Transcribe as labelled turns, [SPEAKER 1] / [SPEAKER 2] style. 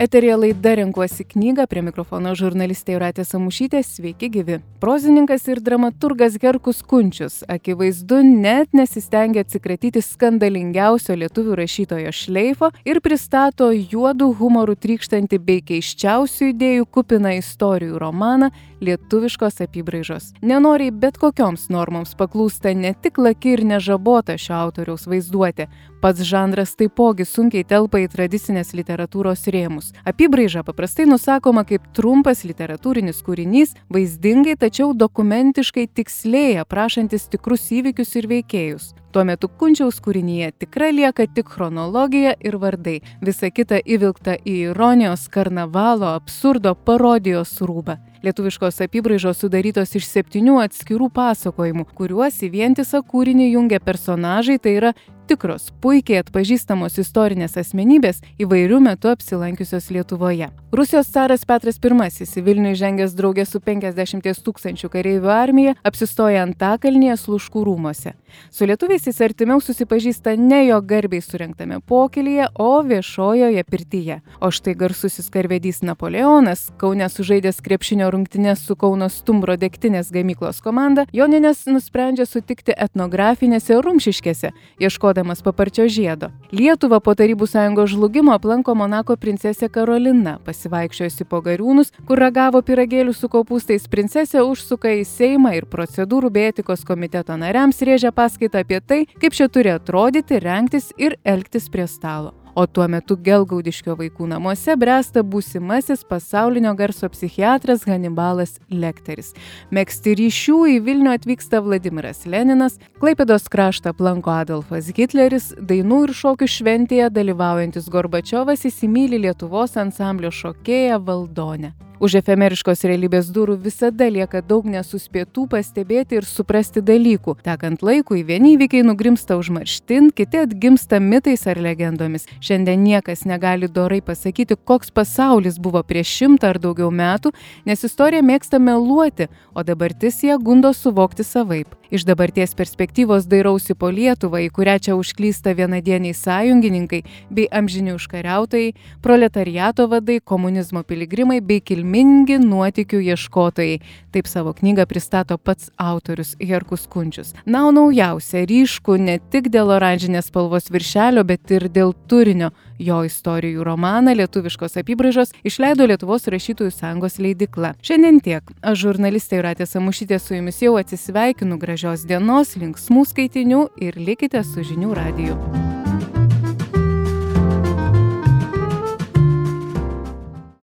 [SPEAKER 1] Eteryje laida Renkuosi knygą, prie mikrofono žurnalistė Jūratė Samušytė, sveiki gyvi. Prozininkas ir dramaturgas Herkus Kunčius akivaizdu net nesistengia atsikratyti skandalingiausio lietuvių rašytojo šleifo ir pristato juodų humorų trykštantį bei keisčiausių idėjų kupiną istorijų romaną lietuviškos apybraižos. Nenoriai bet kokioms normoms paklūsta ne tik laki ir nežabota šio autoriaus vaizduotė, pats žanras taipogi sunkiai telpa į tradicinės literatūros rėmus. Apybraiža paprastai nusakoma kaip trumpas literatūrinis kūrinys, vaizdingai, tačiau dokumentiškai tiksliai aprašantis tikrus įvykius ir veikėjus. Tuo metu Kunčiaus kūrinyje tikra lieka tik chronologija ir vardai. Visa kita įvilkta į ironijos, karnavalo, absurdo, parodijos rūbą. Lietuviškos apybraižos sudarytos iš 7 atskirų pasakojimų, kuriuos į vientisą kūrinį jungia personažai, tai yra tikros, puikiai atpažįstamos istorinės asmenybės įvairių metų apsilankiusios Lietuvoje. Rusijos caras Petras I į Vilnių įžengęs drauge su 50 000 kareivių armija apsistoja Antakalnyje Sluškų rūmuose. Su lietuviais jis artimiau susipažįsta ne jo garbiai surengtame pokylyje, o viešojoje pirtyje. O štai garsusis karvedys Napoleonas, Kaune sužaidęs krepšinio rungtynes su Kauno Stumbro degtinės gamyklos komanda, Jonines nusprendžia sutikti etnografinėse Rumšiškėse, ieškodamas paparčio žiedo. Lietuvą po Tarybų sąjungos žlugimo aplanko Monako princesė Karolina. Pasivaikščiojusi po Gariūnus, kur ragavo pyragėlių su kopūstais, princesė užsuka į Seimą ir procedūrų bei etikos komiteto nariams rėžia paskaitą apie tai, kaip čia turi atrodyti, rengtis ir elgtis prie stalo. O tuo metu Gelgaudiškio vaikų namuose bręsta būsimasis pasaulinio garso psichiatras Hanibalas Lekteris. Megzti ryšių į Vilnių atvyksta Vladimiras Leninas, Klaipėdos kraštą aplanko Adolfas Hitleris, dainų ir šokių šventėje dalyvaujantis Gorbačiovas įsimyli Lietuvos ansamblio šokėją Valdonę. Už efemeriškos realybės durų visada lieka daug nesuspėtų pastebėti ir suprasti dalykų. Tekant laikui, vieni įvykiai nugrimsta užmarštin, kiti atgimsta mitais ar legendomis. Šiandien niekas negali dorai pasakyti, koks pasaulis buvo prieš 100 ar daugiau metų, nes istorija mėgsta meluoti, o dabartis ją gundo suvokti savaip. Iš dabarties perspektyvos dairausi po Lietuvą, į kurią čia užklysta vienadieniai sąjungininkai bei amžini užkariautojai, proletariato vadai, komunizmo piligrimai bei kilmingi nuotykių ieškotojai. Taip savo knygą pristato pats autorius Herkus Kunčius. Na, o naujausia ryškų ne tik dėl oranžinės spalvos viršelio, bet ir dėl turinio. Jo istorijų romaną lietuviškos apybraižos išleido Lietuvos rašytojų sąjungos leidykla. Šiandien tiek. Aš žurnalistė Jūratė Samušytė su jumis jau atsisveikinu. Gražios dienos, linksmų skaitinių ir likite su Žinių radiju.